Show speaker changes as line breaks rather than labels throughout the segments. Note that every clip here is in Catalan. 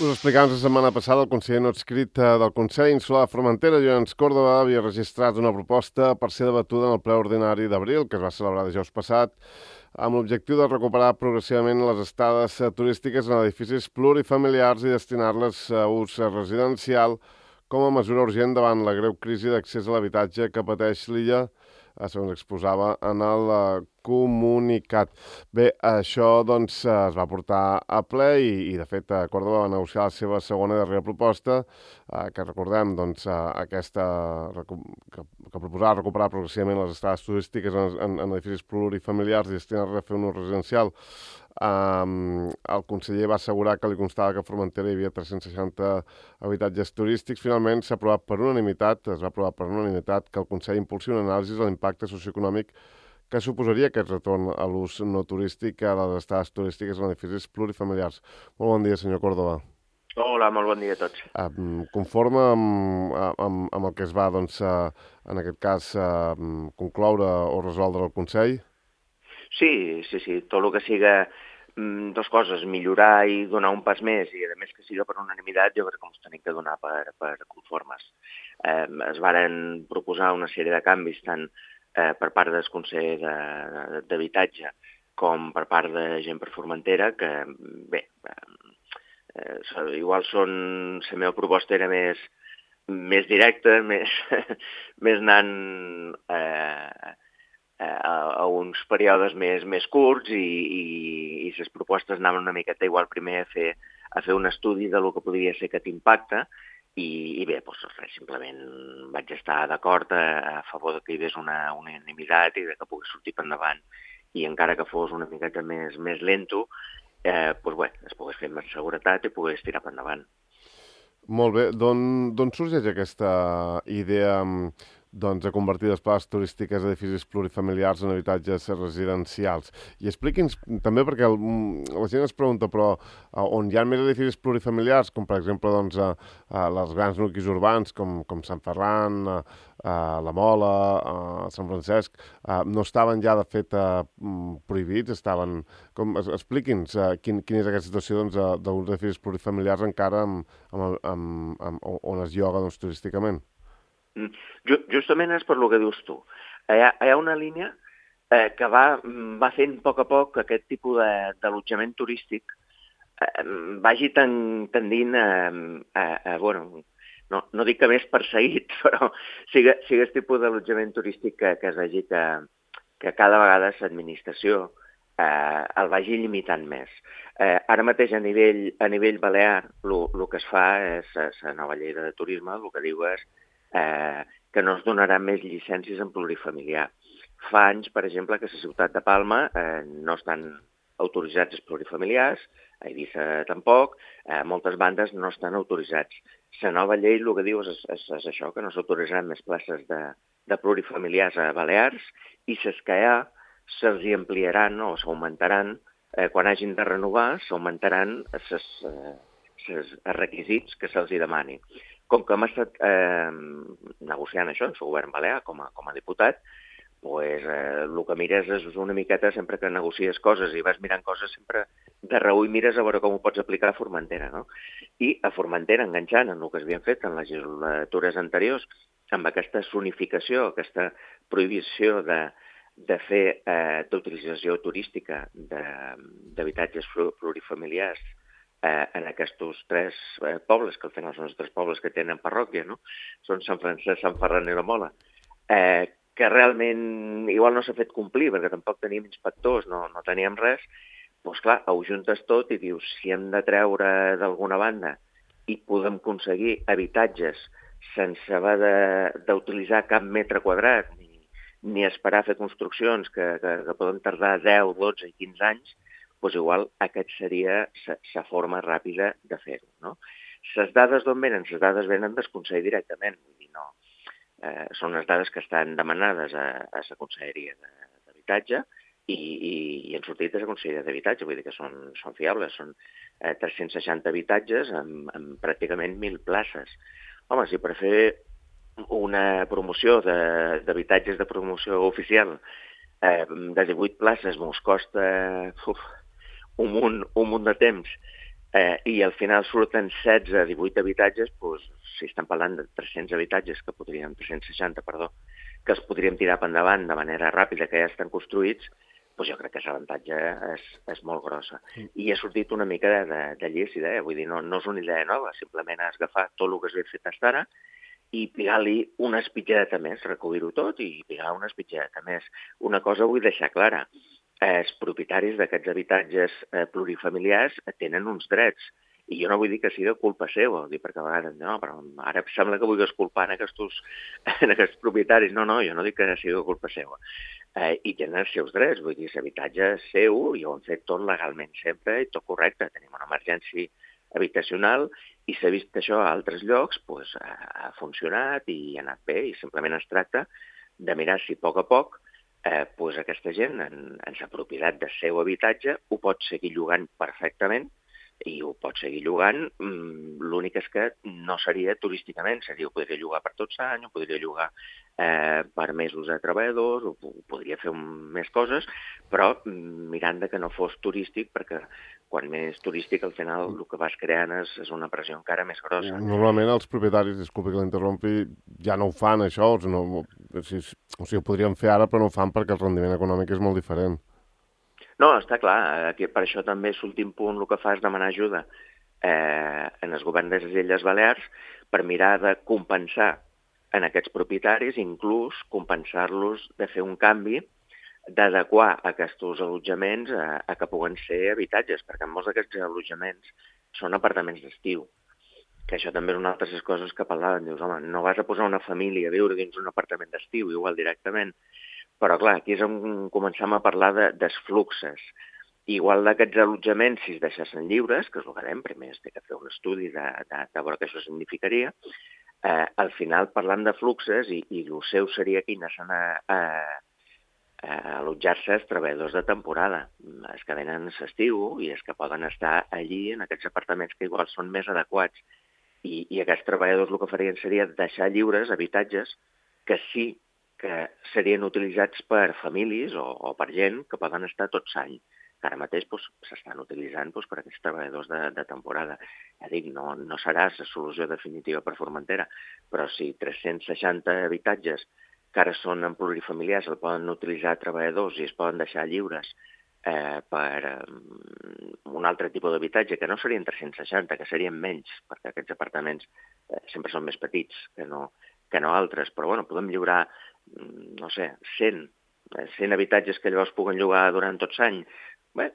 Us explicàvem la setmana passada el conseller no adscrit del Consell Insular de Formentera, Llorenç Córdoba, havia registrat una proposta per ser debatuda en el ple ordinari d'abril, que es va celebrar dijous passat, amb l'objectiu de recuperar progressivament les estades turístiques en edificis plurifamiliars i destinar-les a ús residencial com a mesura urgent davant la greu crisi d'accés a l'habitatge que pateix l'illa, segons exposava en el comunicat. Bé, això doncs es va portar a ple i de fet, Córdoba va negociar la seva segona i darrera proposta, que recordem, doncs, aquesta que proposava recuperar progressivament les estades turístiques en edificis plurifamiliars i destinar-les a fer un ús residencial. El conseller va assegurar que li constava que a Formentera hi havia 360 habitatges turístics. Finalment s'ha aprovat per unanimitat, es va aprovar per unanimitat que el Consell impulsi una anàlisi de l'impacte socioeconòmic que suposaria aquest retorn a l'ús no turístic a les estades turístiques en edificis plurifamiliars. Molt bon dia, senyor Córdoba.
Hola, molt bon dia a tots.
Conforme amb el que es va, doncs, en aquest cas, concloure o resoldre el Consell?
Sí, tot el que siga dues coses, millorar i donar un pas més, i a més que siga per unanimitat, jo crec que ens tenim que donar per conformes. Es varen proposar una sèrie de canvis, tant per part del Consell d'Habitatge com per part de gent per Formentera, que, bé, igual la meva proposta era més directa, més anant a uns períodes més curts i les propostes anaven una miqueta igual primer a fer un estudi de lo que podria ser aquest impacte i bé, doncs res, simplement vaig estar d'acord a favor que hi hagués una unanimitat i que pogués sortir per endavant i encara que fos una miqueta més lento, doncs bé, es pogués fer amb seguretat i pogués tirar per endavant.
Molt bé. D'on sorgeix aquesta idea de convertir les places turístiques a edificis plurifamiliars en habitatges residencials? I expliqui'ns també, perquè la gent es pregunta, però on hi ha més edificis plurifamiliars, com per exemple doncs, els grans nuclis urbans, com Sant Ferran, la Mola, Sant Francesc, no estaven ja de fet prohibits, estaven... Expliqui'ns quina és aquesta situació d'uns edificis plurifamiliars encara on es lloga doncs, turísticament.
Justament és per lo que dius tu. Hi ha una línia que va fent a poc que aquest tipus d'allotjament turístic vagi tendint bueno, no dic que més perseguit, però sigui el tipus d'allotjament turístic que es vegi que cada vegada l'administració el vagi limitant més. Ara mateix a nivell balear el que es fa és la nova llei de turisme, el que diu és que no es donaran més llicències en plurifamiliar. Fa anys, per exemple, que a la ciutat de Palma no estan autoritzats els plurifamiliars, a Eivissa tampoc, moltes bandes no estan autoritzats. La nova llei el que diu és això, que no s'autoritzaran més places de plurifamiliars a Balears i les que hi ha se'ls ampliaran o s'augmentaran, quan hagin de renovar, s'augmentaran els requisits que se'ls demani. Com que hem estat negociant això amb el govern balear com a diputat, doncs el que mires és una miqueta, sempre que negocies coses i vas mirant coses, sempre de reüll mires a veure com ho pots aplicar a Formentera, no? I a Formentera, enganxant en el que s'havien fet en legislatures anteriors, amb aquesta zonificació, aquesta prohibició de fer d'utilització turística d'habitatges plurifamiliars en aquests tres pobles, que al final són els tres pobles que tenen parròquia, no? Són Sant Francesc, Sant Ferran i la Mola, que realment igual no s'ha fet complir, perquè tampoc teníem inspectors, no teníem res, doncs clar, ho juntes tot i dius, si hem de treure d'alguna banda i podem aconseguir habitatges sense haver d'utilitzar cap metre quadrat, ni esperar a fer construccions que poden tardar 10, 12 i 15 anys, doncs igual aquesta seria la forma ràpida de fer-ho, no? Les dades d'on venen? Les dades venen del Consell directament, vull dir, no. Són les dades que estan demanades a la Conselleria d'Habitatge i han sortit de la Conselleria d'Habitatge, vull dir que són fiables, són 360 habitatges amb pràcticament 1.000 places. Home, si per fer una promoció d'habitatges de promoció oficial de 18 places mos costa un munt de temps I al final surten 16-18 habitatges, doncs, si estan parlant de 300 habitatges, 360, perdó, que els podríem tirar per endavant de manera ràpida, que ja estan construïts, doncs jo crec que l'avantatge és molt grossa. I ha sortit una mica de llícid, vull dir, no és una idea nova, simplement has agafat tot el que has fet fins ara i pigar-li una espitlleta més, recollir-ho tot i pigar una espitlleta més. Una cosa vull deixar clara, els propietaris d'aquests habitatges plurifamiliars tenen uns drets, i jo no vull dir que sigui culpa seva, perquè a vegades no, però ara sembla que vulguis culpar en aquests propietaris. No, jo no dic que sigui culpa seva. I tenen els seus drets, vull dir, l'habitatge és seu i ho han fet tot legalment sempre i tot correcte. Tenim una emergència habitacional i s'ha vist que això a altres llocs ha funcionat i ha anat bé i simplement es tracta de mirar si a poc aquesta gent en la propietat del seu habitatge ho pot seguir llogant perfectament i ho pot seguir llogant, l'únic és que no seria turísticament, ho podria llogar per tot l'any, ho podria llogar per mesos a treballadors, ho podria fer més coses, però mirant que no fos turístic, perquè quan més turístic al final el que vas creant és una pressió encara més grossa.
Normalment els propietaris, disculpi que l'interrompi, ja no ho fan això, o sigui, ho podrien fer ara però no ho fan perquè el rendiment econòmic és molt diferent.
No, està clar, per això també l'últim punt el que fa és demanar ajuda en el govern de les Illes Balears per mirar de compensar en aquests propietaris, inclús compensar-los de fer un canvi, d'adequar aquests allotjaments a que puguen ser habitatges, perquè molts d'aquests allotjaments són apartaments d'estiu, que això també és una altra de les coses que parlaven. Dius, home, no vas a posar una família a viure dins un apartament d'estiu, igual directament. Però, clar, aquí és on començam a parlar dels fluxes. Igual d'aquests allotjaments, si es deixessin lliures, que és el que dèiem, primer es té que fer un estudi de veure què això significaria, al final, parlant de fluxes, i el seu seria que hi anessin a allotjar-se els treballadors de temporada, els que venen a l'estiu i els que poden estar allí en aquests apartaments que igual són més adequats. I aquests treballadors el que farien seria deixar lliures habitatges que sí que serien utilitzats per famílies o per gent que poden estar tot l'any, que ara mateix s'estan utilitzant per aquests treballadors de temporada. Ja dic, no serà la solució definitiva per Formentera, però si 360 habitatges que ara són en plurifamiliars el poden utilitzar treballadors i es poden deixar lliures per un altre tipus d'habitatge, que no serien 360, que serien menys, perquè aquests apartaments sempre són més petits que no altres, però bueno, podem lliurar, no sé, 100 habitatges que llavors puguen llogar durant tot l'any. Bé,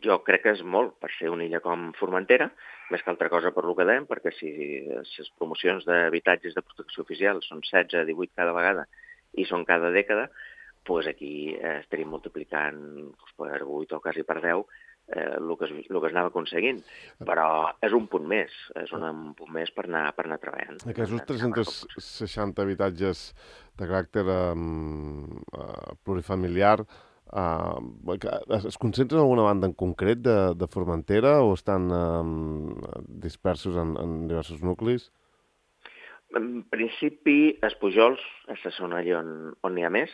jo crec que és molt per ser una illa com Formentera, més que altra cosa per lo que dèiem, perquè si les promocions d'habitatges de protecció oficial són 16-18 cada vegada i són cada dècada, doncs aquí estaríem multiplicant per 8 o quasi per 10 el que es anava aconseguint. Però és un punt més, un punt més per anar treballant.
Aquests 360 habitatges de caràcter plurifamiliar es concentren en alguna banda en concret de Formentera o estan dispersos en diversos nuclis?
En principi, els Pujols és la zona on n'hi ha més.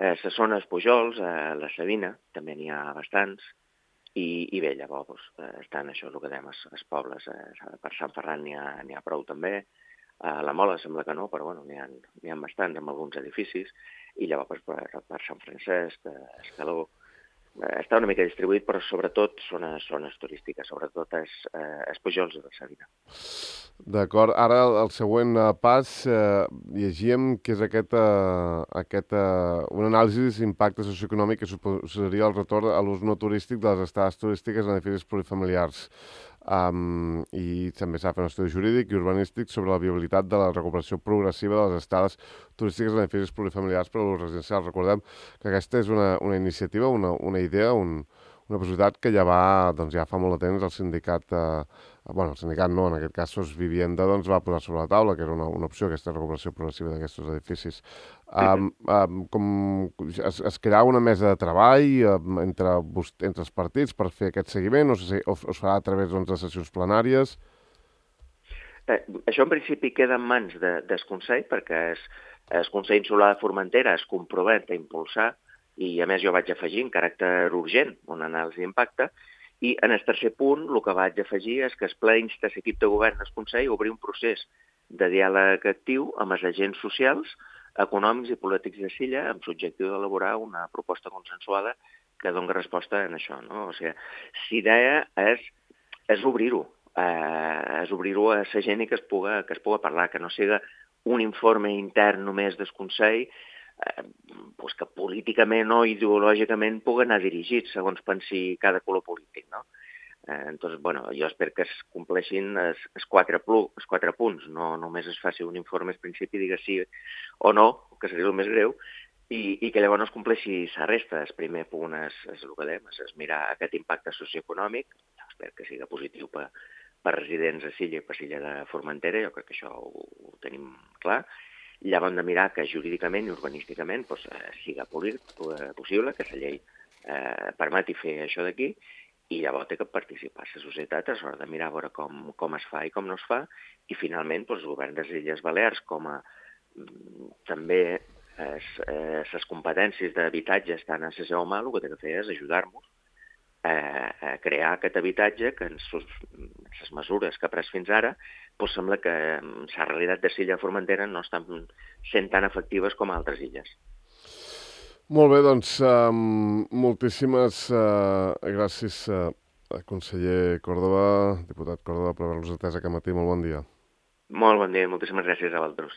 La zona dels Pujols, a la Sabina, també n'hi ha bastants. I bé, llavors estan això, el que dèiem, els pobles. Per Sant Ferran n'hi ha prou també. A la Mola sembla que no, però bueno, n'hi ha bastants amb alguns edificis. I llavors per Sant Francesc, Escaló, està una mica distribuït, però sobretot són zones turístiques, sobretot els Pujols de la Sabina.
D'acord. Ara el següent pas, llegíem que és una anàlisi d'impacte socioeconòmic que suposaria el retorn a l'ús no turístic de les estades turístiques en edificis plurifamiliars. I també s'ha fet un estudi jurídic i urbanístic sobre la viabilitat de la recuperació progressiva de les estades turístiques en edificis plurifamiliars per a l'ús residencial. Recordem que aquesta és una iniciativa, una idea, una possibilitat que ja fa molt de temps el sindicat, el sindicat no, en aquest cas Sos Vivienda, va posar sobre la taula, que era una opció, aquesta recuperació progressiva d'aquests edificis. Es crearà una mesa de treball entre els partits per fer aquest seguiment, o es farà a través de sessions plenàries?
Això en principi queda en mans del Consell, perquè el Consell Insular de Formentera es compromet a impulsar, i a més jo vaig afegir en caràcter urgent una anàlisi d'impacte, I en el tercer punt el que vaig afegir és que el ple insta l'equip de govern del Consell a obrir un procés de diàleg actiu amb els agents socials, econòmics i polítics de Silla amb l'objectiu d'elaborar una proposta consensuada que doni resposta a això. No? O sigui, l'idea és obrir-ho, és obrir-ho a la gent i que es puga parlar, que no sigui un informe intern només del Consell, pues que políticament o ideològicament pugui anar dirigit segons pensi cada color polític, no? Entonces, bueno, jo espero que es compleixin els quatre punts, no només es faci un informe al principi i digui sí o no, que seria el més greu, i que llavors es compleixi la resta. El primer punt és el que dèiem, és mirar aquest impacte socioeconòmic, espero que sigui positiu per residents a Silla i per Silla de Formentera, jo crec que això ho tenim clar. Llavors de mirar que jurídicament i urbanísticament siga possible, que la llei permeti fer això d'aquí, i llavors té que participar la societat a l'hora de mirar a veure com es fa i com no es fa, i finalment el govern de les Illes Balears, com a també les competències d'habitatge estan a la seva mà, el que té que fer és ajudar-nos a crear aquest habitatge que en les mesures que ha pres fins ara sembla que la realitat de Silla de Formentera no estan sent tan efectives com a altres illes.
Molt bé, doncs moltíssimes gràcies, conseller Córdoba, diputat Córdoba, per haver-nos atès aquest matí. Molt bon dia.
Molt bon dia, moltíssimes gràcies a vosaltres.